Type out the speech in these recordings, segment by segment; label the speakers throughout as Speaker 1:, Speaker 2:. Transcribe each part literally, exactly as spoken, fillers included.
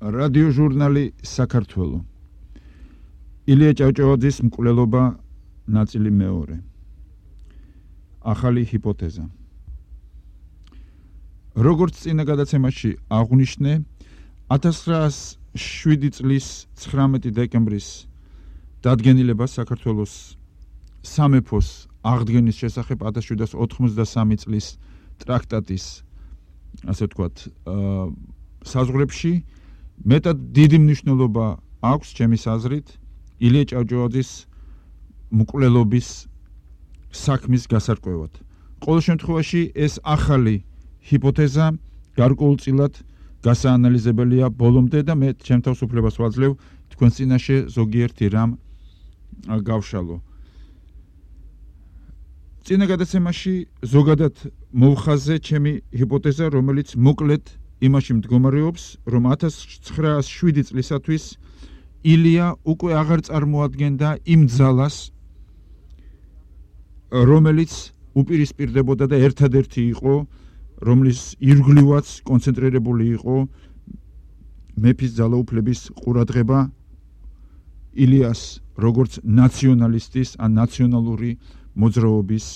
Speaker 1: რადიოჟურნალი საქართველო. ილია ჭავჭავაძის მკვლელობა ნაწილი მეორე. ახალი ჰიპოთეზა. როგორც წინა გადაცემაში აღვნიშნე, ათას ცხრაას შვიდი წლის ცხრამეტი დეკემბრის დადგენილება საქართველოს სამეფოს აღდგენის შესახებ ათას შვიდას ოთხმოცდასამი წლის ტრაქტატის, ასე ვთქვათ, საზღვრებში მეტად დიდი მნიშვნელობა აქვს ჩემის აზრით ილია ჭავჭავაძის მკვლელობის საქმის გასარკვევად. ყოველ შემთხვევაში ეს ახალი ჰიპოთეზა გარკვეულწილად გასაანალიზებელია ბოლომდე და მე ჩემ თავს უფლებას ვაძლევ თქვენს წინაშე ზოგიერთი რამ გავშალო. წინა გადაცემაში ზოგადად მოვხაზე ჩემი ჰიპოთეზა, რომელიც მოკლედ იმაში მდგომარეობს, რომ ათას ცხრაას შვიდი წლისათვის ილია უკვე აღარ წარმოადგენდა იმ ძალას, რომელიც უპირისპირდებოდა და ერთადერთი იყო, რომლის ირგვლივაც კონცენტრირებული იყო მეფის ძალაუფლების ყურადღება ილიას როგორც ნაციონალისტის ან ნაციონალური მოძრაობის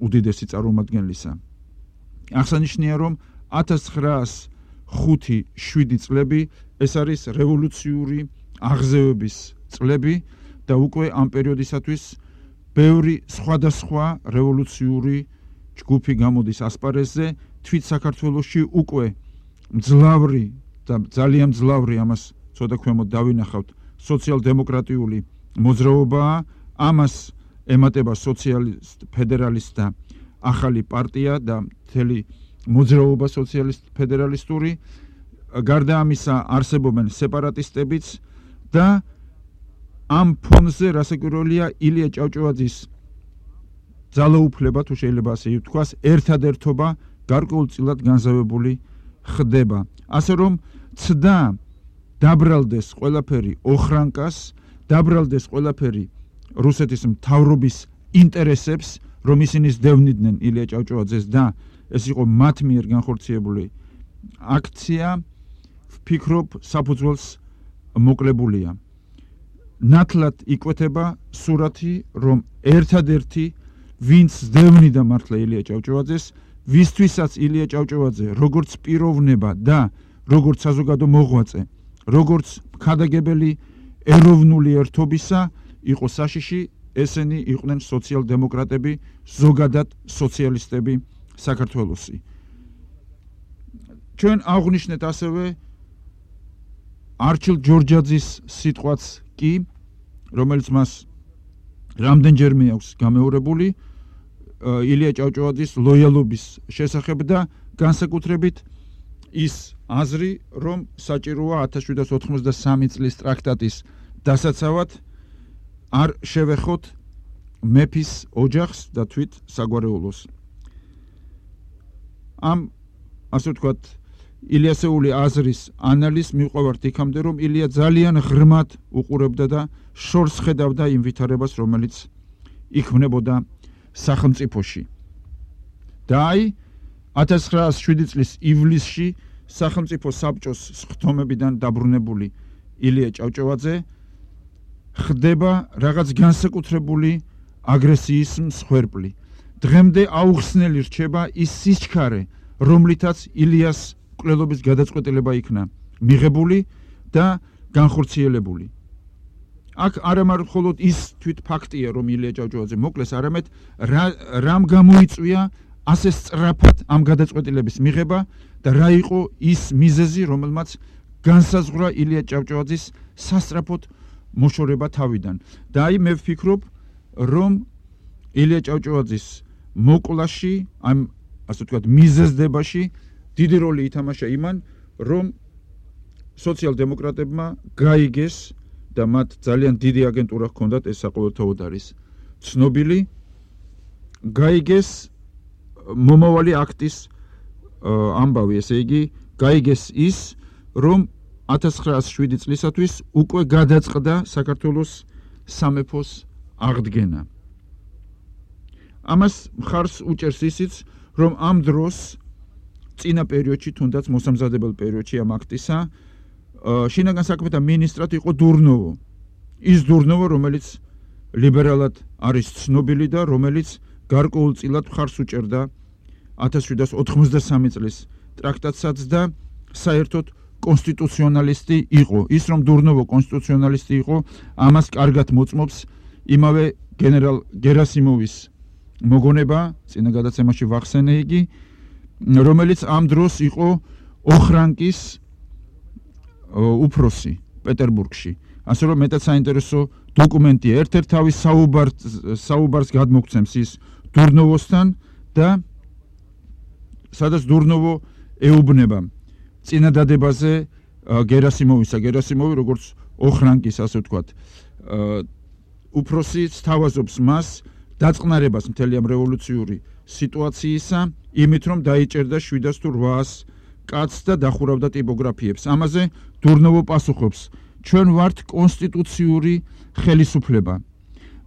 Speaker 1: უდიდესი წარმომადგენლისა. აღსანიშნავია, რომ ათას ცხრაას ხუთი შვიდი წლები ეს არის რევოლუციური აღზევების წლები და უკვე ამ პერიოდისათვის ბევრი სხვადასხვა რევოლუციური ჯგუფი გამოდის ასპარეზზე. თვით საქართველოში უკვე მძლავრი და ძალიან მძლავრი, ამას ცოტა ქვემოთ დავინახავთ, სოციალ-დემოკრატიული მოძრაობაა. ამას ემატება სოციალისტ ფედერალისტთა ახალი პარტია და მთელი მოძრაობა სოციალისტ ფედერალისტური. გარდა ამისა არსებობენ სეპარატისტებიც და ამ ფონზე რასაკვირველია ილია ჭავჭავაძის ძალაუფლება, თუ შეიძლება ასე ითქვას, ერთადერთობა გარკვეულწილად განზავებული ხდება. ასე რომ ცდა დაბრალდეს ყველაფერი ოხრანკას, დაბრალდეს ყველაფერი რუსეთის მთავრობის ინტერესებს, რომ ისინი სდევნიდნენ ილია ჭავჭავაძეს და ეს იყო მათ მიერ განხორციელებული აქცია, ვფიქრობ, საფუძველს მოკლებულია. ნათლად იკვეთება სურათი, რომ ერთადერთი ვინც სდევნიდა მართლა ილია ჭავჭავაძეს, ვისთვისაც ილია ჭავჭავაძე როგორც პიროვნება და როგორც საზოგადო მოღვაწე, როგორც მხარდაგებელი ეროვნული ერთობისა იყო საშიში, ესენი იყვნენ სოციალ-დემოკრატები, ზოგადად სოციალისტები საქართველოსი. ჩვენ აღვნიშნეთ ასევე არჩილ ჯორჯაძის სიტყვაც კი, რომელიც მას რამდენჯერმე აქვს გამეორებული ილია ჭავჭავაძის ლოიალობის შესახებ და განსაკუთრებით ის აზრი, რომ საჭიროა ათას შვიდას ოთხმოცდასამი წლის ტრაქტატის დასაცავად არ შევეხოთ მეფის ოჯახს და თვით საგვარეულოს. ამ, ასე ვთქვათ, ილიასეული აზრის ანალიზს მივყვევართ იქამდე, რომ ილია ძალიან ღრმად უყურებდა და შორს ხედავდა იმ ვითარებას, რომელიც იქმნებოდა სახელმწიფოში. და აი, ათას ცხრაას შვიდი წლის ივლისში სახელმწიფო საბჭოს სხდომებიდან დაბრუნებული ილია ჭავჭავაძე ხდება რაღაც განსაკუთრებული აგრესიის მსხვერპლი. დღემდე აუხსნელი რჩება ის სიჩქარე, რომლითაც ილიას მკვლელობის გადაწყვეტილება იქნა მიღებული და განხორციელებული. აქ არა მხოლოდ ის თვით ფაქტია, რომ ილია ჭავჭავაძე მოკლეს, არამედ რამ გამოიწვია ასე სწრაფად ამ გადაწყვეტილების მიღება და რა იყო ის მიზეზი, რომელმაც განსაზღვრა ილია ჭავჭავაძის სასწრაფოდ მოშორება თავიდან. და აი მე ვფიქრობ, რომ ილია ჭავჭავაძის მოკლაში, ამ ასე ვთქვათ, მიზეზდებაში დიდი როლი ითამაშა იმან, რომ სოციალ-დემოკრატებმა გაიგეს და მათ ძალიან დიდი აგენტურა ჰქონდათ, ეს საყოველთაოდ არის ცნობილი, გაიგეს მომავალი აქტის ამბავი, ესე იგი, გაიგეს ის, რომ ათას ცხრაას შვიდი წლისათვის უკვე გადაწყდა საქართველოს სამეფოს აღდგენა. ამას მხარს უჭერს ისიც, რომ ამ დროს წინა პერიოდში, თუნდაც მოსამზადებელ პერიოდში ამ აქტისა შინაგან საქმეთა მინისტრად იყო დურნოვო. ის დურნოვო, რომელიც ლიბერალად არის ცნობილი და რომელიც გარკვეულწილად მხარს უჭერდა ათას შვიდსათ ოთხმოცდასამი წლის ტრაქტატსაც და საერთოდ კონსტიტუციონალისტი იყო. ის რომ დურნოვო კონსტიტუციონალისტი იყო, ამას კარგად მოწმობს იმავე გენერალ გერასიმოვის მოგონება, წინა გადაცემაში ვახსენე იგი, რომელიც ამ დროს იყო ოხრანკის უფროსი პეტერბურგში. ასე რომ მეტად საინტერესო დოკუმენტია. ერთ-ერთ თავის საუბარს გადმოგცემს ის დურნოვოსთან და სადაც დურნოვო ეუბნება წინადადებაზე გერასიმოვისა. გერასიმოვი როგორც ოხრანკის, ასე ვთქვათ, უფროსი სთავაზობს მას დაწყნარებას მთელი ამ რევოლუციური სიტუაციისა, იმით რომ დაიჭერდა შვიდას თუ რვაას კაცს და დახურავდა ტიპოგრაფიებს. ამაზე დურნოვო პასუხობს: ჩვენ ვართ კონსტიტუციური ხელისუფლება.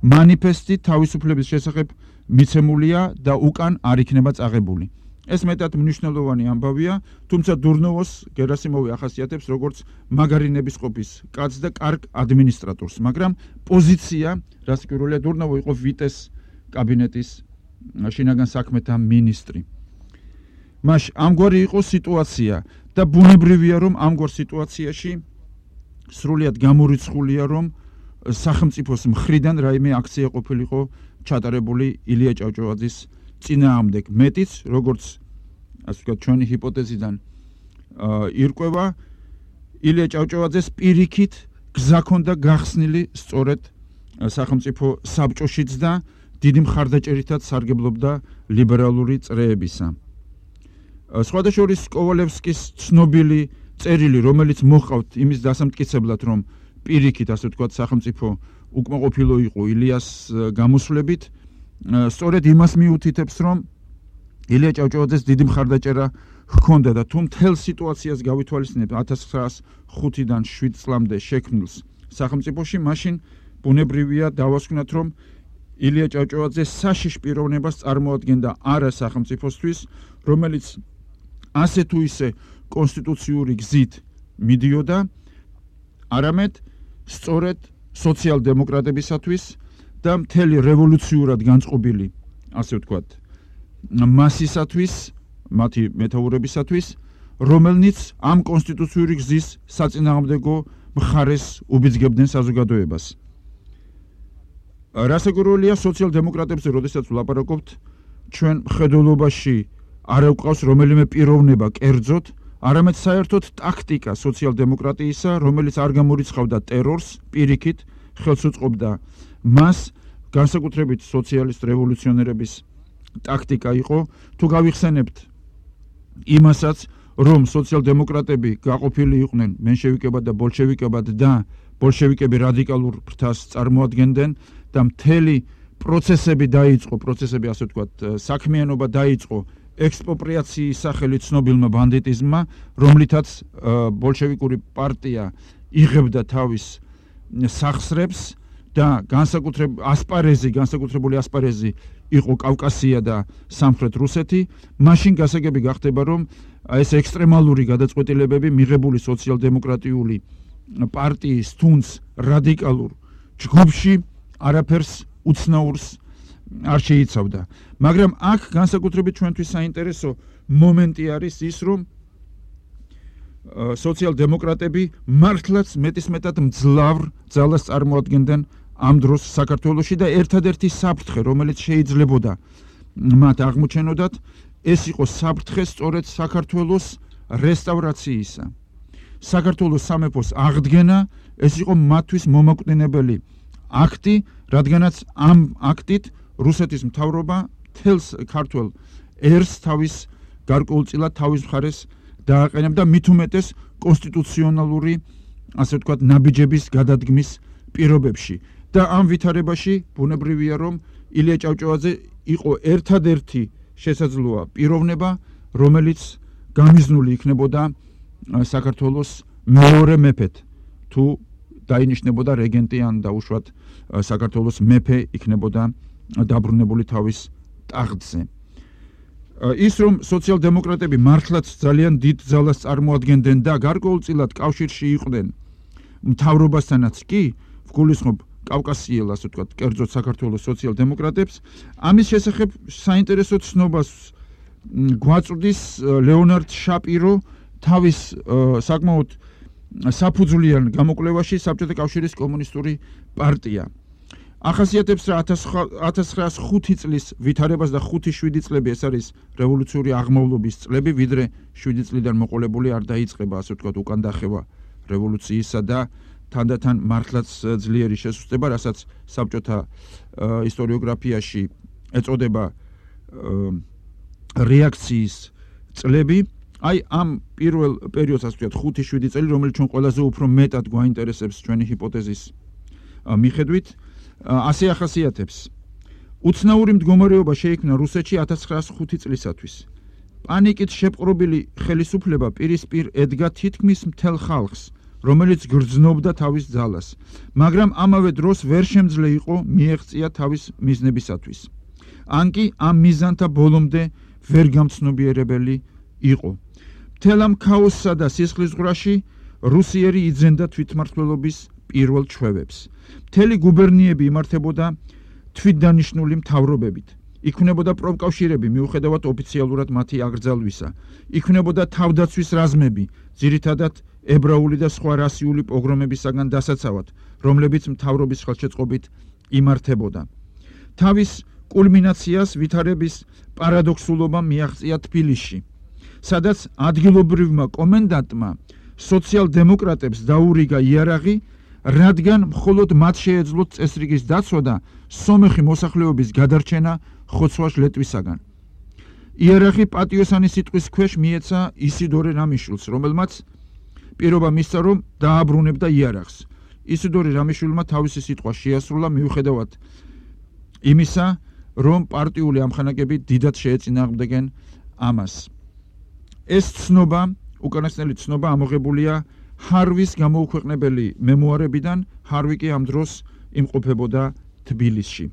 Speaker 1: მანიფესტი თავისუფლების შესახებ მიცემულია და უკან არ იქნება წაღებული. ეს მეტად მნიშვნელოვანი ამბავია, თუმცა დურნოვოს გერასიმოვი ახასიათებს როგორც მაგარი ნებისყოფის კაცს და კარგ ადმინისტრატორს, მაგრამ პოზიცია, რაც პირველია, დურნოვო იყო ვიტეს კაბინეტის შინაგან საქმეთა მინისტრი. მაშ ამგვარი იყო სიტუაცია და ბუნებრივია, რომ ამგვარ სიტუაციაში სრულიად გამორიცხულია, რომ სახელმწიფოს მხრიდან რაიმე აქცია ყოფილიყო ჩატარებული ილია ჭავჭავაძის წინააღმდეგ. მეტიც, როგორც ასე ვთქვათ, ჩვენი ჰიპოთეზიდან ირკვევა, ილია ჭავჭავაძეს პირიქით გზა ჰქონდა გახსნილი სწორედ სახელმწიფო საბჭოშიც და დიდი მხარდაჭერითაც სარგებლობდა ლიბერალური წრეებისა. სხვადასხვა კოვალევსკის ცნობილი წერილი, რომელიც მოჰყავთ იმის დასამტკიცებლად, რომ პირიქით, ასე ვთქვათ, სახელმწიფო უკმაყოფილო იყო ილიას გამოსვლებით, სწორედ იმას მიუთითებს, რომ ილია ჭავჭავაძეს დიდი მხარდაჭერა ჰქონდა და თუ მთელ სიტუაციას გავითვალისწინებთ ათას ცხრაას ხუთიდან შვიდ წლამდე შექმნილს სახელმწიფოში, მაშინ ბუნებრივია დავასკვნათ, რომ ილია ჭავჭავაძე საშიშ პიროვნებას წარმოადგენდა არა სახელმწიფოსთვის, რომელიც ასე თუ ისე კონსტიტუციური გზით მიდიოდა, არამედ სწორედ სოციალ-დემოკრატებისათვის და მთელი რევოლუციურად განწყობილი, ასე ვთქვათ, მასისათვის, მათი მეთაურებისათვის, რომელნიც ამ კონსტიტუციური გზის საწინააღმდეგო მხარეს უბიძგებდნენ საზოგადოებას. რასაკვირველია, სოციალ-დემოკრატებზე, როდესაც ვლაპარაკობთ, ჩვენ მხედველობაში არ გვყავს რომელიმე პიროვნება კერძოდ, არამედ საერთოდ ტაქტიკა სოციალ-დემოკრატიისა, რომელიც არ გამორიცხავდა ტერორს, პირიქით ხელს უწყობდა მას, განსაკუთრებით სოციალისტ რევოლუციონერების ტაქტიკა იყო. თუ გავიხსენებთ იმასაც, რომ სოციალ-დემოკრატები გაყოფილი იყვნენ მენშევიკებად და ბოლშევიკებად და ბოლშევიკები რადიკალურ ფრთას წარმოადგენდნენ და მთელი პროცესები დაიწყო, პროცესები ასე ვთქვათ, საქმიანობა დაიწყო ექსპროპრიაციის სახელით ცნობილმა ბანდიტიზმმა, რომლითაც ბოლშევიკური პარტია იღებდა თავის სახსრებს და განსაკუთრებული ასპარეზი, განსაკუთრებული ასპარეზი იყო კავკასია და სამხრეთ რუსეთი. მაშინ გასაგები გახდება, რომ ეს ექსტრემალური გადაწყვეტილებები მიღებული სოციალ-დემოკრატიული პარტიის თუნდაც რადიკალურ ჯგუფში არაფერს უცნაურს არ შეიცავდა. მაგრამ აქ განსაკუთრებით ჩვენთვის საინტერესო მომენტი არის ის, რომ სოციალ-დემოკრატები მართლაც მეტისმეტად მძლავრ ძალას წარმოადგენდნენ ამ დროს საქართველოში და ერთადერთი საფრთხე, რომელიც შეიძლებოდა მათ აღმოჩენოდათ, ეს იყო საფრთხე სწორედ საქართველოს რესტავრაციისა. საქართველოს სამეფოს აღდგენა, ეს იყო მათთვის მომაკვდინებელი აქტი, რადგანაც ამ აქტით რუსეთის მთავრობა თელს ქართველ ერს თავის გარკვეულწილად თავის მხარეს დააყენებდა, მით უმეტეს კონსტიტუციონალური, ასე ვთქვათ, ნაბიჯების გადადგმის პირობებში. და ამ ვითარებაში ბუნებრივია, რომ ილია ჭავჭავაძე იყო ერთადერთი შესაძლოა პიროვნება, რომელიც გამიზნული იქნებოდა საქართველოს მეორე მეფედ, თუ დაინიშნებოდა რეგენტი ან დაუშვათ საქართველოს მეფე იქნებოდა დაბრუნებული თავის ტახტზე. ის რომ სოციალ-დემოკრატები მართლაც ძალიან დიდ ძალას წარმოადგენდნენ და გარკვეულწილად კავშირში იყვნენ მთავრობასთანაც კი, ვგულისხმობ კავკასიელ, ასე ვთქვათ, კერძოდ საქართველოს სოციალ-დემოკრატებს, ამის შესახებ საინტერესო ცნობას გვაწვდის ლეონარდ შაპირო თავის საკმაოდ საფუძვლიან გამოკვლევაში საბჭოთა კავშირის კომუნისტური პარტია. ახასიათებს რა ათას ცხრაას ხუთი წლის ვითარებას და ხუთი შვიდი წლები ეს არის რევოლუციური აღმავლობის წლები, ვიდრე შვიდი წლიდან მოყოლებული არ დაიწყება, ასე ვთქვათ, უკან დახევა რევოლუციისა და თანდათან მართლაც ძლიერი შესუსტება, რასაც საბჭოთა ისტორიოგრაფიაში ეწოდება რეაქციის წლები. აი ამ პირველ პერიოდს, ასე ვთქვათ, ხუთი შვიდი წელი, რომელიც ჩვენ ყველაზე უფრო მეტად გვაინტერესებს ჩვენი ჰიპოთეზის მიხედვით, ასე ახასიათებს. უცნაური მდგომარეობა შეიქმნა რუსეთში ათას ცხრაას ხუთი წლისათვის. პანიკით შეპყრობილი ხელისუფლება პირისპირ ედგა თითქმის მთელ ხალხს, რომელიც გრძნობდა თავის ძალას, მაგრამ ამავე დროს ვერ შემძლე იყო მიეღწია თავის მიზნებისათვის. ან კი ამ მიზანთა ბოლომდე ვერ გამცნობიერებელი იყო. მთელ ამ ქაოსსა და სისხლისღვრაში რუსიერი იძენდა თვითმმართველობის პირველ ჩვევებს. მთელი გუბერნიები იმართებოდა თვითდანიშნული მთავრობებით. იქმნებოდა პროფკავშირები მიუხედავად ოფიციალურად მათი აკრძალვისა. იქმნებოდა თავდაცვის რაზმები, ძირითადად ებრაული და სხვა რასიული პოგრომებისაგან დასაცავად, რომლებიც მთავრობის ხელშეწყობით იმართებოდა. თავის კულმინაციას ვითარების პარადოქსულობა მიაღწია თბილისში, სადაც ადგილობრივმა კომენდანტმა სოციალ-დემოკრატებს დაურიგა იარაღი, რადგან მხოლოდ მათ შეეძლოთ წესრიგის დაცვა და სომეხი მოსახლეობის გადარჩენა ხოცვა ლეტვისაგან. იარაღი პატიოსანი სიტყვის ქვეშ მიეცა ისიდორე რამიშვილს, რომელმაც პირობა მისცა, რომ დააბრუნებდა იარაღს. ისიდორე რამიშვილმა თავისი სიტყვა შეასრულა მიუხედავად იმისა, რომ პარტიული ამხანაგები დიდად შეეწინააღმდეგნენ ამას. ეს ცნობა, უკანასკნელი ცნობა ამოღებულია ჰარვის გამოუქვეყნებელი მემუარებიდან, ჰარვი კი ამ დროს იმყოფებოდა თბილისში.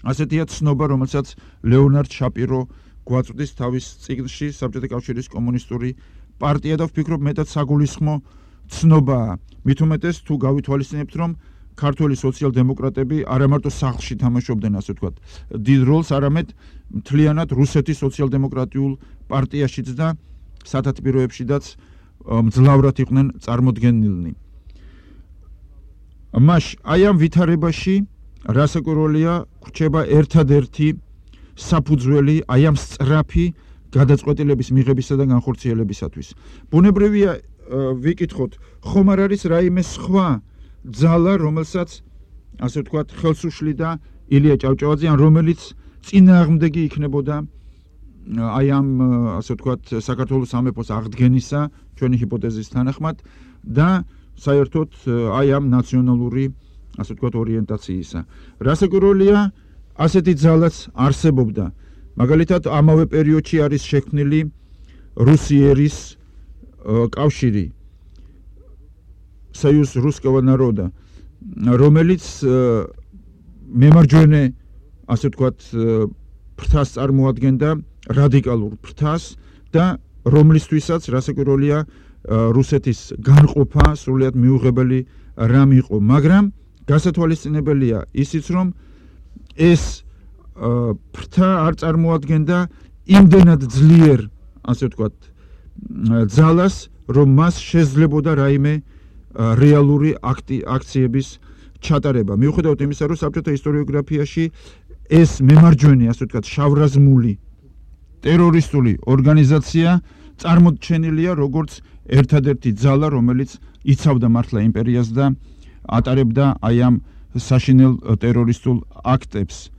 Speaker 1: ასეთია ცნობა, რომელსაც ლეონარდ შაპირო გვაწვდის თავის წიგნში საბჭოთა კავშირის კომუნისტური პარტია და ვფიქრობ მეტად საგულისხმო ცნობაა. მით უმეტეს თუ გავითვალისწინებთ, რომ ქართველი სოციალ-დემოკრატები არა მარტო სახლში თამაშობდნენ, ასე ვთქვათ, დიდ როლს, არამედ მთლიანად რუსეთის სოციალ-დემოკრატიულ პარტიაშიც და სათათბიროებშიც მძლავრად იყვნენ წარმოდგენილნი. მაშ აი ამ ვითარებაში რასაკვირველია გვრჩება ერთადერთი საფუძველი აი ამ სწრაფი გადაწყვეტილების მიღებისა და განხორციელებისათვის. ბუნებრივია ვიკითხოთ, ხომ არ არის რაიმე სხვა ძალა, რომელსაც ასე ვთქვათ, ხელს უშლიდა ილია ჭავჭავაძე, ან რომელიც წინააღმდეგი იქნებოდა აი ამ ასე ვთქვათ, საქართველოს სამეფოს აღდგენისა, ჩვენი ჰიპოთეზის თანახმად და საერთოდ აი ამ ნაციონალური ასე ვთქვათ, ორიენტაციისა. რასაკვირველია, ასეთი ძალაც არსებობდა. მაგალითად, ამავე პერიოდში არის შექმნილი რუსიერის კავშირი, союз русского народа, რომელიც მემარჯვენე, ასე ვთქვათ, ფრთას წარმოადგენდა, რადიკალურ ფრთას და რომლისთვისაც რასაკვირველია რუსეთის განყოფა სრულიად მიუღებელი რამ იყო, მაგრამ გასათვალისწინებელია ისიც, რომ ეს ფრთა არ წარმოადგენდა იმდენად ძლიერ, ასე ვთქვათ, ძალას, რომ მას შეძლებოდა რაიმე რეალური აქციების ჩატარება. მიუხედავად იმისა, რომ საბჭოთა ისტორიოგრაფიაში ეს მემარჯვენე, ასე ვთქვათ, შავრაზმული ტერორისტული ორგანიზაცია წარმოჩენილია როგორც ერთადერთი ძალა, რომელიც იცავდა მართლა იმპერიას და ატარებდა აი ამ საშინელ ტერორისტულ აქტებს.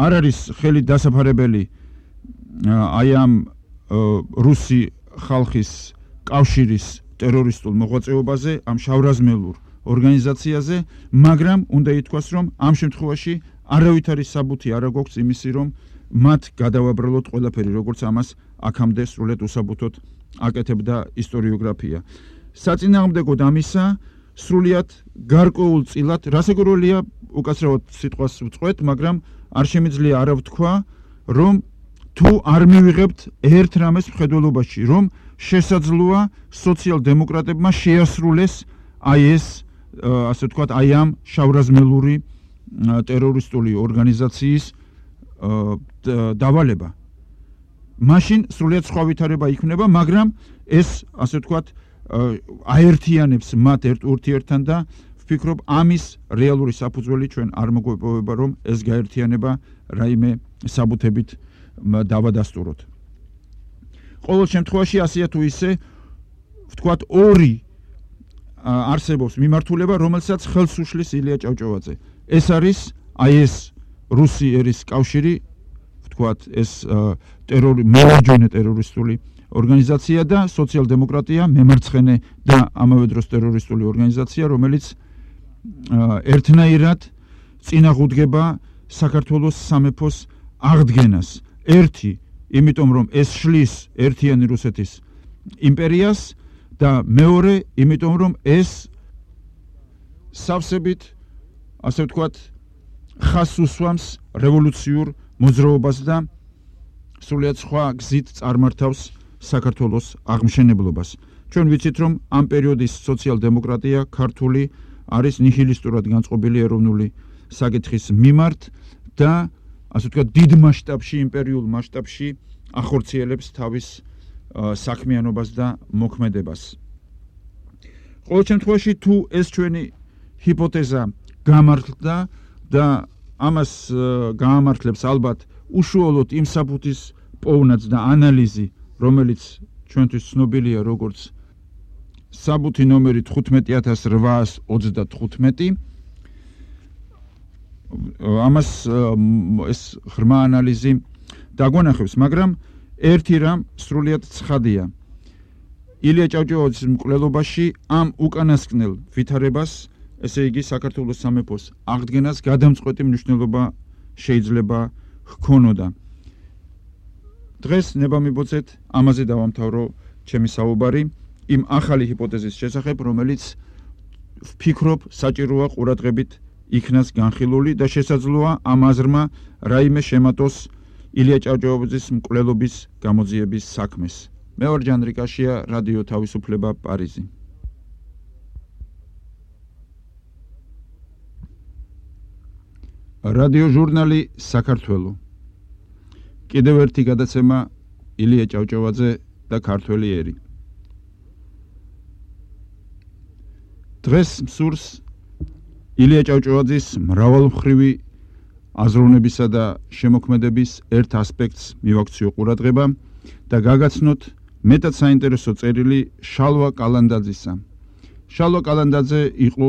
Speaker 1: არ არის ხელი დასაფარებელი აი ამ რუსი ხალხის კავშირის ტერორისტულ მოღვაწეობაზე, ამ შავრაზმელურ ორგანიზაციაზე, მაგრამ უნდა ითქვას, რომ ამ შემთხვევაში არავითარი საბუთი არ გვაქვს იმისი, რომ მათ გადავაბრალოთ ყველაფერი, როგორც ამას აქამდე სრულიად უსაბუთოდ აკეთებდა ისტორიოგრაფია. საწინააღმდეგოდ ამისა, სრულიად გარკვეულწილად, რასაკვირველია, უკაცრავად სიტყვას ვწყვეთ, მაგრამ არ შემიძლია არა ვთქვა, რომ თუ არ მივიღებთ ერთ რამეს მხედველობაში, რომ შესაძლოა სოციალ-დემოკრატებმა შეასრულეს აი ეს, ასე ვთქვათ, აი ამ შავრაზმელური ტერორისტული ორგანიზაციის დავალება. მაშინ სრულიად სხვა ვითარება იქნება, მაგრამ ეს, ასე ვთქვათ, აერთიანებს მათ ერთ ურთიერთთან და ვფიქრობ, ამის რეალური საფუძველი ჩვენ არ მოგვეპოვება, რომ ეს გაერთიანება რაიმე საბუთებით დავადასტუროთ. ყოველ შემთხვევაში ასეა თუ ისე, ვთქვათ, ორი არსებობს მიმართულება, რომელსაც ხელს უშლის ილია ჭავჭავაძე. ეს არის აი ეს რუსი ერის კავშირი, ვთქვათ, ეს ტერორი მოლოჯენე ტერორისტული ორგანიზაცია და სოციალ-დემოკრატია მემარცხენე და ამავე დროს ტერორისტული ორგანიზაცია, რომელიც ერთნაირად წინააღმდეგება საქართველოს სამეფოს აღდგენას. ერთი, იმიტომ რომ ეს შლის ერთიანი რუსეთის იმპერიას და მეორე, იმიტომ რომ ეს სავსებით, ასე ვთქვათ, ხაზს უსვამს რევოლუციურ მოძრაობას და სრულიად სხვა გზით წარმართავს საქართველოს აღმშენებლობას. ჩვენ ვიცით, რომ ამ პერიოდის სოციალ-დემოკრატია ქართული არის ნიჰილისტურად განწყობილი ეროვნული საკითხის მიმართ და ასე ვთქვათ, დიდ მასშტაბში, იმპერიულ მასშტაბში ახორციელებს თავის საქმიანობას და მოქმედებას. ყოველ შემთხვევაში, თუ ეს ჩვენი ჰიპოთეზა გამართლდა და ამას გაამართლებს ალბათ უშუალოდ იმ საფუძის პოვნაც და ანალიზი, რომელიც ჩვენთვის ცნობილია როგორც საბუთი ნომერი თხუთმეტი ათას რვაას ოცდათხუთმეტი. ამას ეს ღრმა ანალიზი დაგვანახებს, მაგრამ ერთი რამ სრულიად ცხადია. ილია ჭავჭავაძის მკვლელობაში ამ უკანასკნელ ვითარებას, ესე იგი საქართველოს სამეფოს აღდგენას გადამწყვეტი მნიშვნელობა შეიძლება ჰქონოდა. დღეს ნებამიბოძეთ ამაზე დავამთავრო ჩემი საუბარი იმ ახალი ჰიპოთეზის შესახებ, რომელიც ვფიქრობ საჭიროა ყურადღებით იქნას განხილული და შესაძლოა ამ აზრმა რაიმე შემატოს ილია ჭავჭავაძის მკვლელობის გამოძიების საქმეს. მე ვარ ჯანდრი კაშია, რადიო თავისუფლება, პარიზი. რადიო ჟურნალი საქართველო. კიდევ ერთი გადაცემა ილია ჭავჭავაძე და ქართველი ერი. დღეს მსურს ილია ჭავჭავაძის მრავალმხრივი აზროვნებისა და შემოქმედების ერთ ასპექტს მივაქციო ყურადღება და გაგაცნოთ მეტად საინტერესო წერილი შალვა კალანდაძისა. შალვა კალანდაძე იყო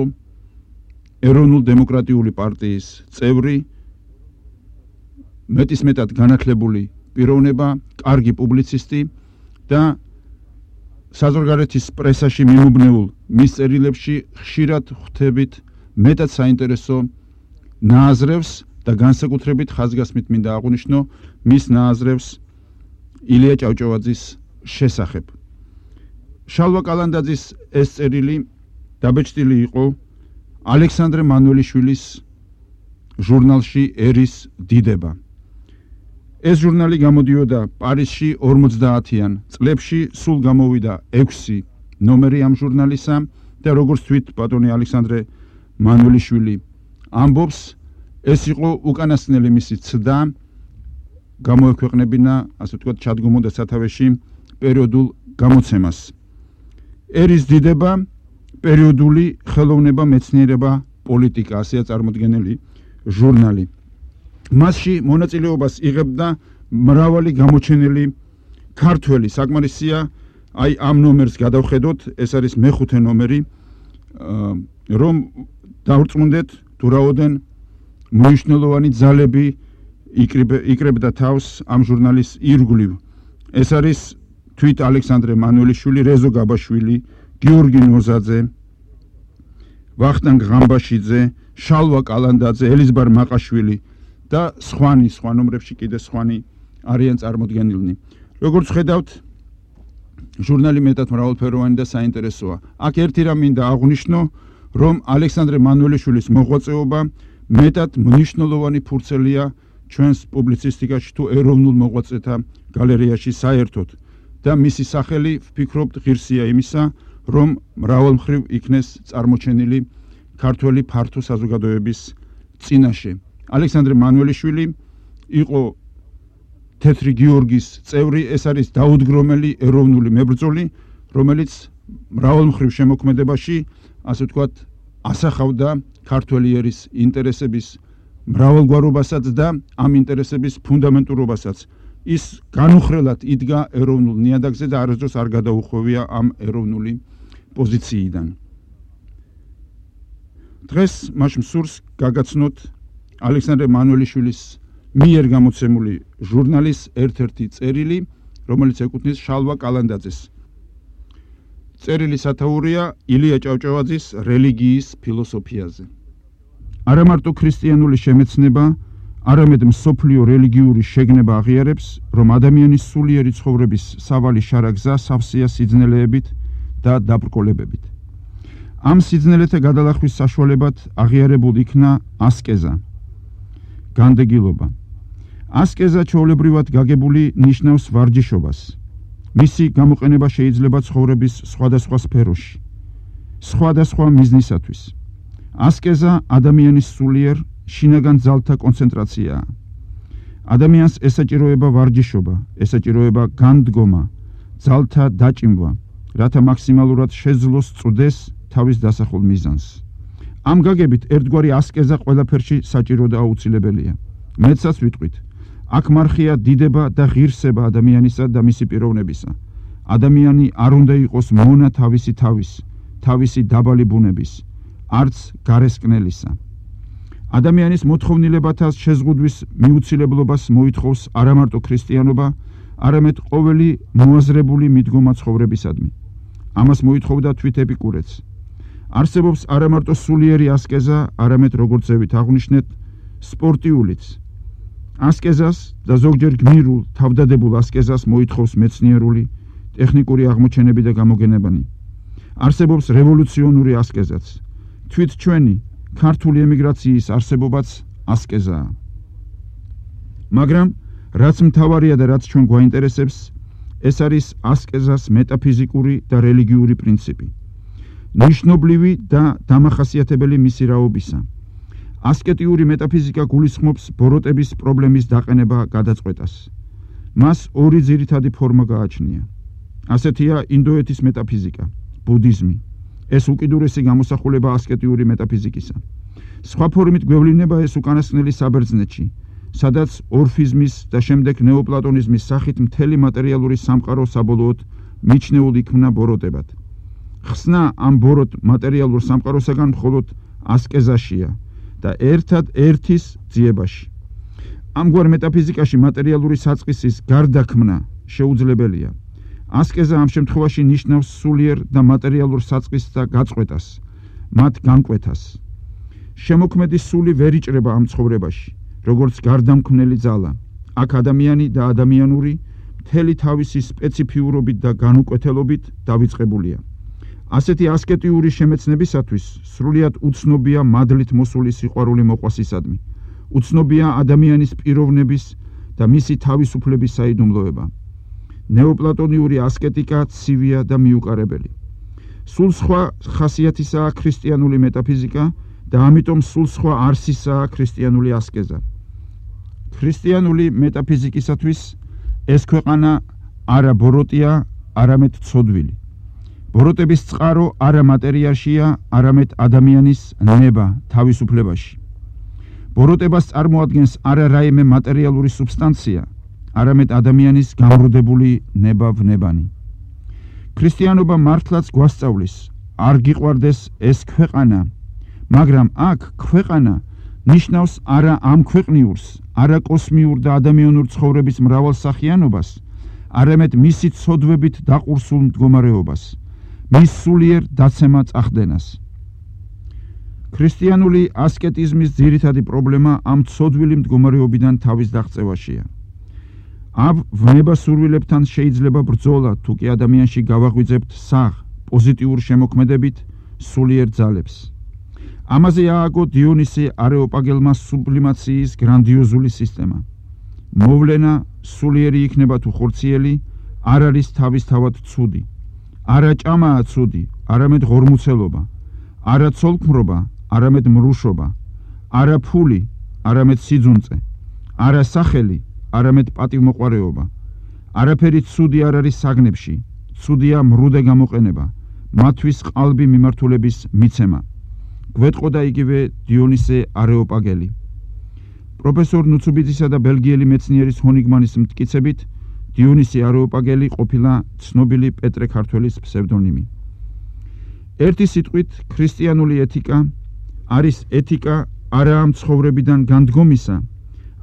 Speaker 1: ეროვნულ-დემოკრატიული პარტიის წევრი, მეტისმეტად განათლებული პიროვნება, კარგი პუბლიცისტი და საზღვარგარეთის პრესაში მიმობნეულ მის წერილებში ხშირად ხვდებით მეტად საინტერესო ნააზრევს და განსაკუთრებით ხაზგასმით მინდა აღვნიშნო მის ნააზრევს ილია ჭავჭავაძის შესახებ. შალვა კალანდაძის ეს წერილი დაბეჭდილი იყო ალექსანდრე მანველიშვილის ჟურნალში ერის დიდება. ეს ჟურნალი გამოდიოდა პარიზში ორმოცდაათიან წლებში, სულ გამოვიდა ექვსი ნომერი ამ ჟურნალისა და როგორც თვით ბატონი ალექსანდრე მანველიშვილი ამბობს, ეს იყო უკანასკნელი მისი ცდა გამოექვეყნებინა, ასე ვთქვათ, ჩადგომოდა სათავეში პერიოდულ გამოცემას. ერის დიდება, პერიოდული ხელოვნება, მეცნიერება, პოლიტიკა, ასეა წარმოდგენილი ჟურნალი. მასში მონაწილეობას იღებდა მრავალი გამოჩენილი ქართველი. საკმარისია აი ამ ნომერს გადავხედოთ, ეს არის მეხუთე ნომერი, რომ დავრწმუნდეთ თუ რაოდენ მნიშვნელოვანი ძალები იკრებდა თავს ამ ჟურნალის ირგვლივ. ეს არის თვით ალექსანდრე მანველიშვილი, რეზო გაბაშვილი, გიორგი ნოზაძე, ვახტანგ ღამბაშიძე, შალვა კალანდაძე, ელიზბარ მაყაშვილი და სხვანი, სხვა ნომრებში კიდე სხვანი არიან წარმოდგენილნი. როგორც ხედავთ, ჟურნალი მეტად მრავალფეროვანი და საინტერესოა. აქ ერთი რამ მინდა აღვნიშნო, რომ ალექსანდრე მანველიშვილის მოღვაწეობა მეტად მნიშვნელოვანი ფურცელია ჩვენს პუბლიცისტიკაში თუ ეროვნულ მოღვაწეთა გალერეაში საერთოდ და მისი სახელი ვფიქრობთ ღირსია იმისა, რომ მრავალმხრივ იქნეს წარმოჩენილი ქართველი ფართო საზოგადოების წინაშე. ალექსანდრე მანუელიშვილი იყო თეთრი გიორგის წევრი, ეს არის დაუდგრომელი ეროვნული მებრძოლი, რომელიც მრავალმხრივ შემოქმედებაში, ასე ვთქვათ, ასახავდა ქართველი ერის ინტერესების მრავალგვარობასაც და ამ ინტერესების ფუნდამენტურობასაც. ის განუხრელად იდგა ეროვნულ ნიადაგზე და არასდროს არ გადაუხვევია ამ ეროვნული პოზიციიდან. დღეს მას მსურს გაგაცნოთ ალექსანდრე მანუელიშვილის მიერ გამოცემული ჟურნალის ერთ-ერთი წერილი, რომელიც ეკუთვნის შალვა კალანდაძეს. წერილი სათაურია ილია ჭავჭავაძის რელიგიის ფილოსოფიაზე. არა მარტო ქრისტიანული შემეცნება, არამედ მსოფლიო რელიგიური შეგნება აღიარებს, რომ ადამიანის სულიერი ცხოვრების სავალი შარაგზა სავსეა სიძნელეებით და დაბრკოლებებით. ამ სიძნელეთა გადალახვის საშუალებად აღიარებულ იქნა ასკეზა, განდეგილობა. ასკეზა ჩვეულებრივად გაგებული ნიშნავს ვარჯიშობას. მისი გამოყენება შეიძლება ცხოვრების სხვადასხვა სფეროში, სხვადასხვა მიზნისათვის. ასკეზა ადამიანის სულიერ შინაგან ძალთა კონცენტრაციაა. ადამიანს ესაჭიროება ვარჯიშობა, ესაჭიროება განდგომა, ძალთა დაჭიმვა, რათა მაქსიმალურად შეძლოს წვდეს თავის დასახულ მიზანს. ამ გაგებით ერთგვარი ასკეზა ყველაფერში საჭირო და აუცილებელია. მეცაც ვიტყვით, აქ მარხია დიდება და ღირსება ადამიანისა და მისი პიროვნებისა. ადამიანი არ უნდა იყოს მონა თავისი თავის, თავისი დაბალი ბუნების, არც გარესკნელისა. ადამიანის მოთხოვნილებათა შეზღუდვის მიუცილებლობას მოითხოვს არა მარტო ქრისტიანობა, არამედ ყოველი მოაზრებული მიდგომა ცხოვრებისადმი. ამას მოითხოვდა თვით ეპიკურეც. არსებობს არა მარტო სულიერი ასკეზა, არამედ როგორც ზევით აღვნიშნეთ, სპორტიულიც. ასკეზას და ზოგჯერ გმირულ, თავდადებულ ასკეზას მოითხოვს მეცნიერული, ტექნიკური აღმოჩენები და გამოგონებანი. არსებობს რევოლუციონური ასკეზაც. თვით ჩვენი ქართული ემიგრაციის არსებობაც ასკეზაა. მაგრამ რაც მთავარია და რაც ჩვენ გვაინტერესებს, ეს არის ასკეზას მეტაფიზიკური და რელიგიური პრინციპი. ნიშნობლივი და დამახასიათებელი მისი რაობისა. ასკეტიური მეტაფიზიკა გულისხმობს ბოროტების პრობლემის დაყენება გადაწყვეტას. მას ორი ძირითადი ფორმა გააჩნია. ასეთია ინდოეთის მეტაფიზიკა, ბუდიზმი. ეს უკიდურესი გამოსახულება ასკეტიური მეტაფიზიკისა. სხვა ფორმით გვევლინება ეს უკანასკნელი საბერძნეთში, სადაც ორფიზმის და შემდეგ ნეოპლატონიზმის სახით მთელი მატერიალური სამყარო საბოლოოდ მიჩნეულ იქმნა ბოროტებად. ხსნა ამ ბოროტ მატერიალურ სამყაროსაგან მხოლოდ ასკეზაშია და ერთად ერთის ძიებაში. ამგვარ მეტაფიზიკაში მატერიალური საწყისის გარდაქმნა შეუძლებელია. ასკეზა ამ შემთხვევაში ნიშნავს სულიერ და მატერიალურ საწყისთა გაწყვეტას, მათ განკვეთას. შემოქმედის სული ვერ იჭრება ამ ცხოვრებაში, როგორც გარდამქმნელი ძალა. აქ ადამიანი და ადამიანური მთელი თავისი სპეციფიურობით და განუკვეთელობით დავიწყებულია. ასეთი ასკეტიური შემეცნებისათვის სრულიად უცნობია მადლით მოსული სიყვარული მოყვასისადმი. უცნობია ადამიანის პიროვნების და მისი თავისუფლების საიდუმლოება. ნეოპლატონიური ასკეტიკა ცივია და მიუკარებელი. სულ სხვა ხასიათისაა ქრისტიანული მეტაფიზიკა და ამიტომ სულ სხვა არსისაა ქრისტიანული ასკეზა. ქრისტიანული მეტაფიზიკისათვის ეს ქვეყანა არა ბოროტია, არამედ ცოდვილი. ბოროტების წყარო არა მატერიაშია, არამედ ადამიანის ნება თავისუფლებაში. ბოროტებას წარმოადგენს არა რაიმე მატერიალური სუბსტანცია, არამედ ადამიანის გამრუდებული ნება-ვნებანი. ქრისტიანობა მართლაც გვასწავლის, არ გიყვარდეს ეს ქვეყანა, მაგრამ აქ ქვეყანა ნიშნავს არა ამ ქვეყნიურს, არა კოსმიურ და ადამიანურ ცხოვრების მრავალსახიანობას, არამედ მისი ცოდვებით დაყურსულ მდგომარეობას, მის სულიერ დაცემა წახდენას. ქრისტიანული ასკეტიზმის ძირითადი პრობლემა ამ ცოდვილი მდგომარეობიდან თავის დაღწევაშია. ამ ვნებასურვილებთან შეიძლება ბრძოლა, თუ კი ადამიანში გავაღვიძებთ საღ, პოზიტიურ შემოქმედებით სულიერ ძალებს. ამაზე ააგო დიონისე არეოპაგელმა სუბლიმაციის გრანდიოზული სისტემა. მოვლენა სულიერი იქნება თუ ხორციელი, არ არის თავისთავად ცუდი. არა ჭამაა ცუდი, არამედ ღორმუცელობა, არა ცოლქმრობა, არამედ მრუშობა, არა ფული, არამედ სიძუნწე, არა სახელი, არამედ პატივმოყვარეობა. არაფერი ცუდი არ არის საგნებში, ცუდია მრუდე გამოყენება, მათთვის ყალბი მიმართულების მიცემა. გვეტყოდა იგივე დიონისე არეოპაგელი. პროფესორ ნუცუბიძისა და ბელგიელი მეცნიერის ჰონიგმანის მტკიცებით, დიონისე არეოპაგელი ყოფილა ცნობილი პეტრე ქართველის ფსევდონიმი. ერთი სიტყვით, ქრისტიანული ეთიკა არის ეთიკა არა ამ ცხოვრებიდან განდგომისა,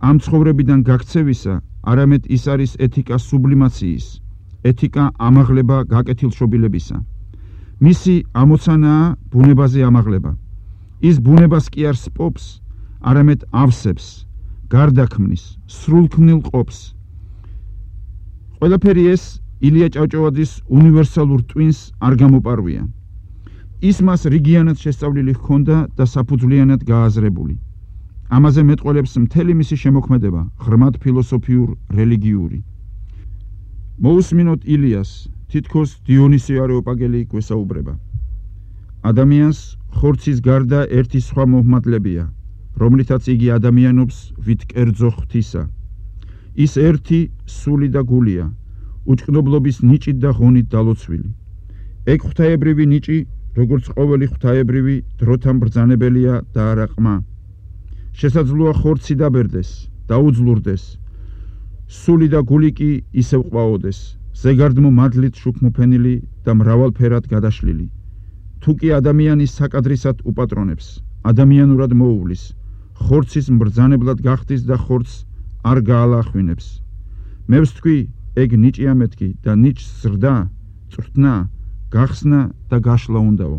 Speaker 1: ამ ცხოვრებიდან გაქცევისა, არამედ ის არის ეთიკა სუბლიმაციის, ეთიკა ამაღლება გაკეთილშობილებისა. მისი ამოცანაა ბუნებაზე ამაღლება. ის ბუნებას კი არ სპობს, არამედ ავსებს, გარდაქმნის, სრულქმნილ ყოფს. ყველაფერი ეს ილია ჭავჭავაძის უნივერსალურ ტვინს არ გამოპარვია. ის მას რიგიანად შესწავლილი ჰქონდა და საფუძვლიანად გააზრებული. ამაზე მეტყველებს მთელი მისი შემოქმედება, ღრმად ფილოსოფიურ, რელიგიური. მოусმინოთ ილიას, თითქოს დიონისე არეოპაგელი გვესაუბრება. ადამიანს ხორცის გარდა ერთი სხვა მოჰმადლებია, რომლითაც იგი ადამიანობს ვით კერძო ღვთისა. ის ერთი სული და გულია, უჭკნობლობის ნიჭით და ღონით დალოცვილი. ეგ ღვთაებრივი ნიჭი, როგორც ყოველი ღვთაებრივი, დროთან ბრძანებელია და არა ყმა. შესაძლოა ხორცი დაბერდეს, დაუძლურდეს, სული და გული კი ისევ ყვაოდეს, ზეგარდმო მადლით შუქმოფენილი და მრავალფერად გადაშლილი. თუ კი ადამიანის საკადრისად უპატრონებს, ადამიანურად მოუვლის, ხორცის მბრძანებლად გახდის და ხორცს არ გაალახვინებს. მე ვსთქვი, ეგ ნიჭია მეთქი და ნიჭს ზრდა, წვრთნა, გახსნა და გაშლა უნდაო.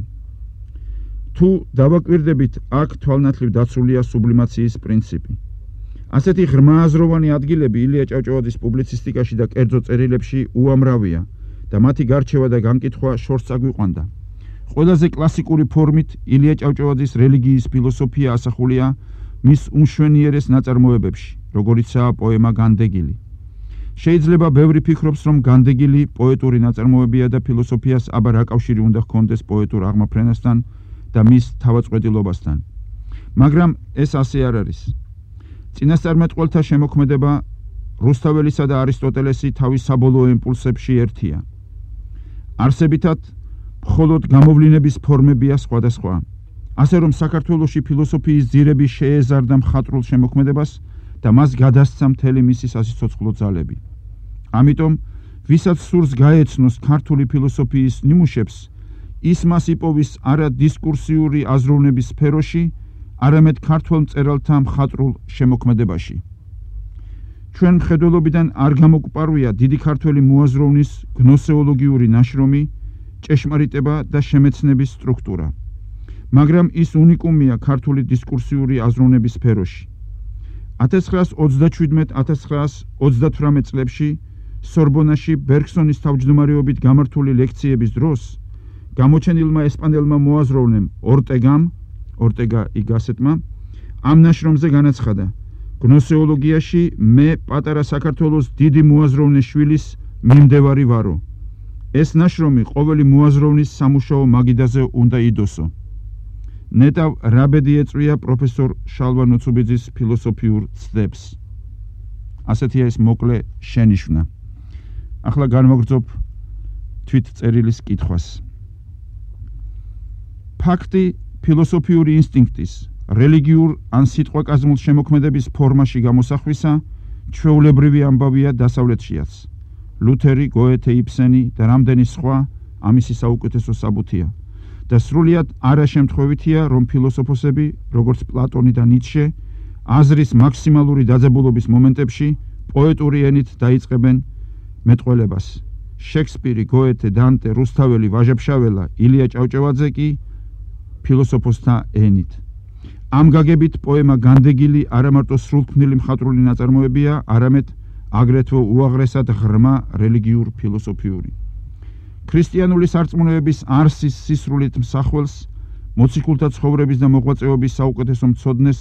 Speaker 1: თუ დავაკვირდებით, აქ თვალნათლივ დაცულია სუბლიმაციის პრინციპი. ასეთი ღრმააზროვანი ადგილები ილია ჭავჭავაძის პუბლიცისტიკაში და კერძო წერილებში უამრავია და მათი გარჩევა და განკითხვა შორს აგვიყვანდა. ყველაზე კლასიკური ფორმით ილია ჭავჭავაძის რელიგიის ფილოსოფია ასახულია მის უმშვენიერეს ნაწარმოებებში, როგორიცაა პოემა განდეგილი. შეიძლება ბევრი ფიქრობს, რომ განდეგილი პოეტური ნაწარმოებია და ფილოსოფიას აბა რა კავშირი უნდა ჰქონდეს პოეტურ აღმაფრენასთან და მის თავაწყვეტილობასთან. მაგრამ ეს ასე არ არის. წინასწარმეტყველთა შემოქმედება რუსთაველისა და არისტოტელესი თავის საბოლოო იმპულსებში ერთია. არსებითად მხოლოდ გამოვლინების ფორმებია სხვადასხვა. ასე რომ საქართველოში ფილოსოფიის ძირები შეეზარდა მხატვრულ შემოქმედებას და მას გადასცა მთელი მისი სასიცოცხლო ძალები. ამიტომ, ვისაც სურს გაეცნოს ქართული ფილოსოფიის ნიმუშებს, ის მას იპოვის არა დისკურსიული აზროვნების სფეროში, არამედ ქართველ მწერალთა მხატვრულ შემოქმედებაში. ჩვენ მხედველობიდან არ გამოგვპარვია დიდი ქართველი მოაზროვნის გნოსეოლოგიური ნაშრომი, ჭეშმარიტება და შემეცნების სტრუქტურა. მაგრამ ის უნიკუმია ქართული დისკურსიული აზროვნების სფეროში. ათას ცხრაას ოცდაშვიდმეტ - ათას ცხრაას ოცდათვრამეტ წლებში სორბონაში ბერგსონის თავმჯდომარეობით გამართული ლექციების დროს გამოჩენილმა ესპანელმა მოაზროვნემ ორტეგამ, ორტეგა ი გასეტმა, ამ ნაშრომზე განაცხადა: გნოსეოლოგიაში მე პატარა საქართველოს დიდი მოაზროვნის შვილის მიმდევარი ვარო. ეს ნაშრომი ყოველი მოაზროვნის სამუშაო მაგიდაზე უნდა იდოსო. ნეტავ რაბედი ეწვია პროფესორ შალვა ნუცუბიძის ფილოსოფიურ ცდებს. ასეთია ეს მოკლე შენიშვნა. ახლა განვაგრძობ თვით წერილის კითხვას. ფაქტი ფილოსოფიური ინსტინქტის, რელიგიურ ან სიტყვაკაზმულ შემოქმედების ფორმაში გამოსახვისა ჩვეულებრივი ამბავია დასავლეთშიაც. ლუთერი, გოეთე, იბსენი და რამდენი სხვა ამისი საუკეთესო საბუთია და სრულიად არაშემთხვევითია, რომ ფილოსოფოსები, როგორც პლატონი და ნიცშე, აზრის მაქსიმალური დაძაბულობის მომენტებში პოეტური ენით დაიწყებენ მეტყველებას. შექსპირი, გოეთე, დანტე, რუსთაველი, ვაჟა-ფშაველა, ილია ჭავჭავაძე კი ფილოსოფოსთა ენით. ამ გაგებით პოემა განდეგილი არა მარტო სრულქმნილი მხატვრული ნაწარმოებია, არამედ აგრეთვე უაღრესად ღრმა რელიგიურ ფილოსოფიური. ქრისტიანული სარწმუნოების არსის სისრულით მსახველს მოციქულთა ცხოვრების და მოღვაწეობის საუკეთესო მცოდნეს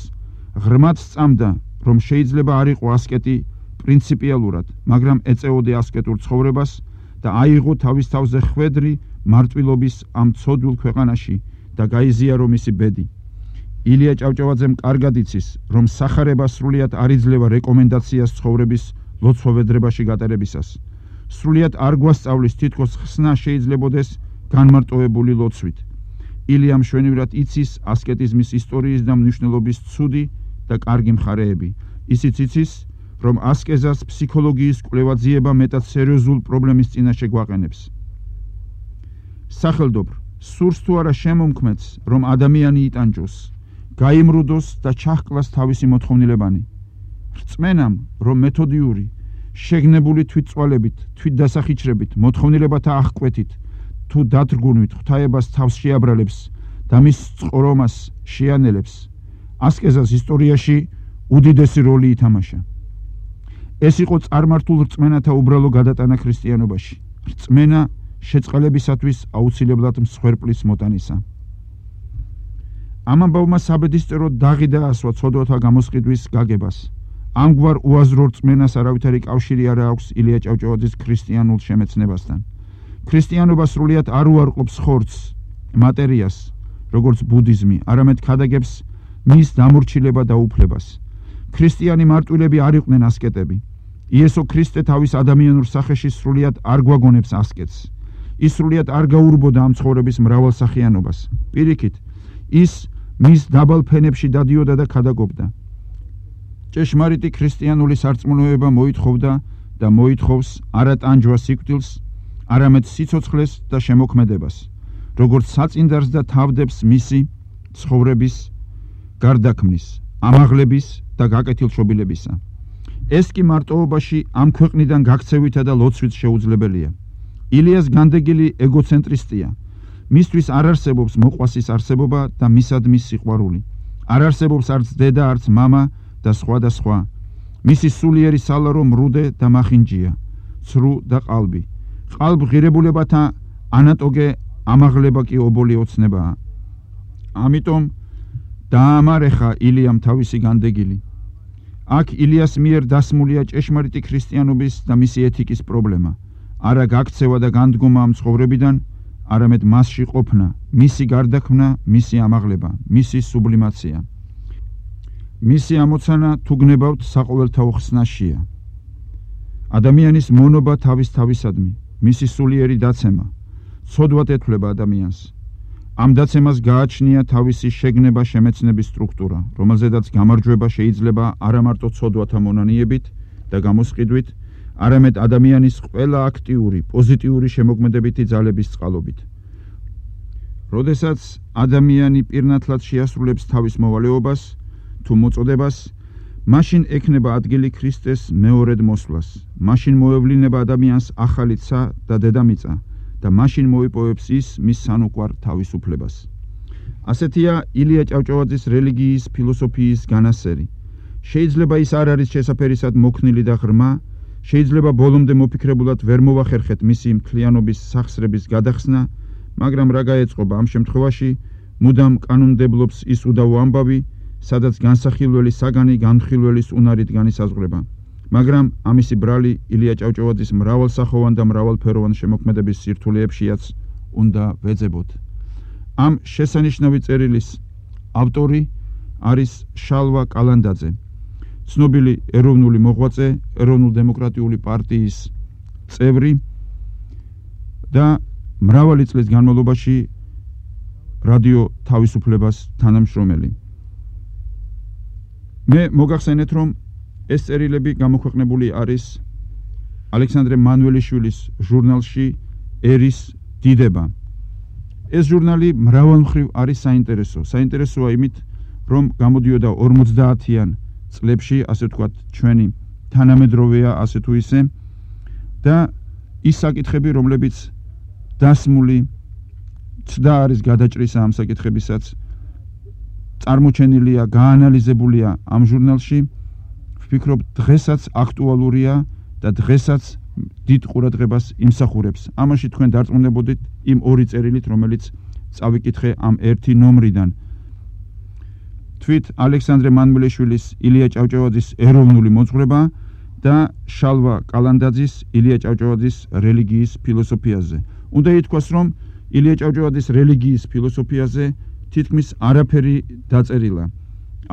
Speaker 1: ღრმად სწამდა, რომ შეიძლება არ იყო ასკეტი პრინციპიალურად, მაგრამ ეწეოდა ასკეტურ ცხოვრებას და აიღო თავის თავზე ხვედრი მარტვილობის ამ ცოდვილ ქვეყანაში და გაიზიარო მისი ბედი. ილია ჭავჭავაძემ კარგად იცის, რომ სახარება სრულიად არ იძლევა რეკომენდაციას ცხოვრების ლოცვა-ვედრებაში გატარებისას. სრულიად არ გვასწავლის თითქოს ხსნა შეიძლებოდეს განმარტოვებული ლოცვით. ილია მშვენივრად იცის ასკეტიზმის ისტორიის და მნიშვნელობის ცუდი და კარგი მხარეები. ისიც იცის, რომ ასკეზას ფსიქოლოგიის კვლევა ძიება მეტად სერიოზულ პრობლემის წინაშე გვაყენებს. სახელდობრ, სურს თუ არა შემომქმედს, რომ ადამიანი იტანჯოს, გაიმრუდოს და ჩაჰკლას თავისი მოთხოვნილებანი. რწმენამ, რომ მეთოდიური, შეგნებული თვითწვალებით, თვითდასახიჩრებით, მოთხოვნილებათა აღკვეთით, თუ დათრგუნვით ღვთაებას თავს შეაბრალებს და მის წყრომას შეანელებს, ასკეზას ისტორიაში უდიდესი როლი ითამაშა. ეს იყო წარმართულ რწმენათა უბრალო გადატანა ქრისტიანობაში. რწმენა შეწყალებისათვის აუცილებლად მსხვერპლის მოტანისა. ამ ამბავმა საბედისწერო დაღი დაასვა ცოდვათა გამოსყიდვის გაგებას. ამგვარ უაზრო რწმენას არავითარი კავშირი არ აქვს ილია ჭავჭავაძის ქრისტიანულ შემეცნებასთან. ქრისტიანობა სრულიად არ უარყოფს ხორცს, მატერიას, როგორც ბუდიზმი, არამედ ქადაგებს მის დამორჩილება და უფლებას. ქრისტიანი მარტვილები არ იყვნენ ასკეტები. იესო ქრისტე თავის ადამიანურ სახეში სრულიად არ გვაგონებს ასკეტს. ის სრულიად არ გაურბოდა ამ ცხოვრების მრავალსახიანობას. პირიქით, ის მის დაბალ ფენებში დადიოდა და ქადაგობდა. ჭეშმარიტი ქრისტიანული სარწმუნოება მოითხოვდა და მოითხოვს არა ტანჯვას სიკვდილს, არამედ სიცოცხლეს და შემოქმედებას, როგორც საწინდარს და თავდებს მისი ცხოვრების გარდაქმნის, ამაღლების და გაკეთილშობილებისა. ეს კი მარტოობაში ამ ქვეყნიდან გაქცევითა და ლოცვით შეუძლებელია. ილიას განდეგილი ეგოცენტრისტია. მისთვის არ არსებობს მოყვასის არსებობა და მისადმის სიყვარული. არ არსებობს არც დედა, არც მამა და სხვა და სხვა. მისი სულიერი სალარო მრუდე და მახინჯია, ცრუ და ყალბი. ყალბ ღირებულებათა ანატოგე ამაღლება კი ობოლი ოცნებაა. ამიტომ დაამარეხა ილიამ თავისი განდეგილი. აქ ილიას მიერ დასმულია ჭეშმარიტი ქრისტიანობის და მისი ეთიკის პრობლემა. არა გაქცევა და განდგომა ამ ცხოვრებიდან, არამედ მასში ყოფნა, მისი გარდაქმნა, მისი ამაღლება, მისი სუბლიმაცია. მისი ამოცანა თუ გნებავთ საყოველთაო ხსნაშია. ადამიანის მონობა თავის თავისადმი, მისი სულიერი დაცემა, ცოდვად ეთვლება ადამიანს. ამ დაცემას გააჩნია თავისი შეგნება შემეცნების სტრუქტურა, რომელზედაც გამარჯვება შეიძლება არა მარტო ცოდვათა მონანიებით და გამოსყიდვით, არამედ ადამიანის ყველა აქტიური, პოზიტიური შემოქმედებითი ძალების წყალობით. როდესაც ადამიანი პირნათლად შეასრულებს თავის მოვალეობას თუ მოწოდებას, მაშინ ექნება ადგილი ქრისტეს მეორედ მოსვლას, მაშინ მოევლინება ადამიანს ახალი ცა და დედამიწა და მაშინ მოიპოვებს ის მის სანუკვარ თავისუფლებას. ასეთია ილია ჭავჭავაძის რელიგიის ფილოსოფიის განასერი. შეიძლება ის არ არის შესაფერისად მოქნილი და ღრმა, შეიძლება ბოლომდე მოფიქრებულად ვერ მოვახერხეთ მისი მთლიანობის სახსრების გადახსნა, მაგრამ რა გაეწყობა ამ შემთხვევაში, მუდამ კანონმდებლობს ის უდავო ამბავი, სადაც განსახილველი საგანი განხილველის უნარით განისაზღვრება. მაგრამ ამისი ბრალი ილია ჭავჭავაძის მრავალსახოვან და მრავალფეროვან შემოქმედების სირთულეებშიაც უნდა ვეძებოთ. ამ შესანიშნავი წერილის ავტორი არის შალვა კალანდაძე, ცნობილი ეროვნული მოღვაწე, ეროვნულ-დემოკრატიული პარტიის წევრი და მრავალი წლის განმავლობაში რადიო თავისუფლებას თანამშრომელი. მე მოგახსენეთ, რომ ეს წერილები გამოქვეყნებული არის ალექსანდრე მანუელიშვილის ჟურნალში ერის დიდება. ეს ჟურნალი მრავალმხრივ არის საინტერესო. საინტერესოა იმით, რომ გამოდიოდა ორმოცდაათიან წლებში, ასე ვთქვათ, ჩვენი თანამედროვეა ასე თუ ისე და ის საკითხები, რომლებიც დასმული ცდა არის გადაჭრისა ამ საკითხებისაც, წარმოჩენილია, გაანალიზებულია ამ ჟურნალში. ვფიქრობ, დღესაც აქტუალურია და დღესაც დიდ ყურადღებას იმსახურებს. ამაში თქვენ დარწმუნებოდით იმ ორი წერილით, რომელიც წავიკითხე ამ ერთი ნომრიდან. თვით ალექსანდრე მანმელიშვილის, ილია ჭავჭავაძის ეროვნული მოძღვრება და შალვა კალანდაძის, ილია ჭავჭავაძის რელიგიის ფილოსოფიაზე. უნდა ითქვას, რომ ილია ჭავჭავაძის რელიგიის ფილოსოფიაზე თითქმის არაფერი დაწერილა.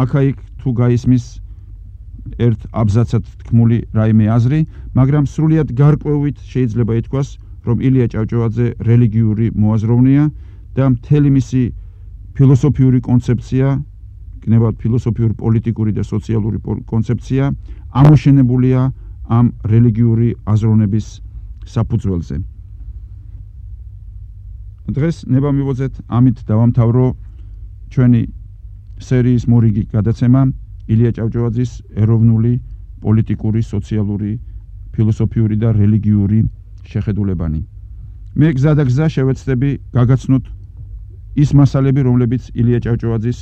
Speaker 1: აქა-იქ თუ გაისმის ერთ აბზაცად თქმული რაიმე აზრი, მაგრამ სრულიად გარკვევით შეიძლება ითქვას, რომ ილია ჭავჭავაძე რელიგიური მოაზროვნეა და მთელი მისი ფილოსოფიური კონცეფცია, გნებავთ ფილოსოფიური, პოლიტიკური და სოციალური კონცეფცია ამოშენებულია ამ რელიგიური აზროვნების საფუძველზე. დღეს ნება მივოძეთ, ამით დავამთავრო ჩვენი სერიის მორიგი გადაცემა ილია ჭავჭავაძის ეროვნული, პოლიტიკური, სოციალური, ფილოსოფიური და რელიგიური შეხედულებანი. მე გზა და გზა შევეცდები გაგაცნოთ ის მასალები, რომლებიც ილია ჭავჭავაძის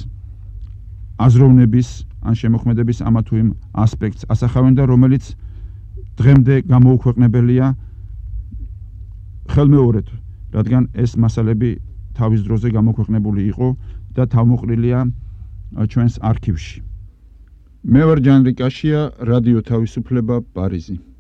Speaker 1: აზროვნების ან შემოქმედების ამა თუ იმ ასპექტს ასახავენ და რომელიც დღემდე გამოუქვეყნებელია ხელმეორედ, რადგან ეს მასალები თავის დროზე გამოქვეყნებული იყო და თავმოყრილია ჩვენს არქივში. მე ვარ ჯანრი კაშია, რადიო თავისუფლება, პარიზი.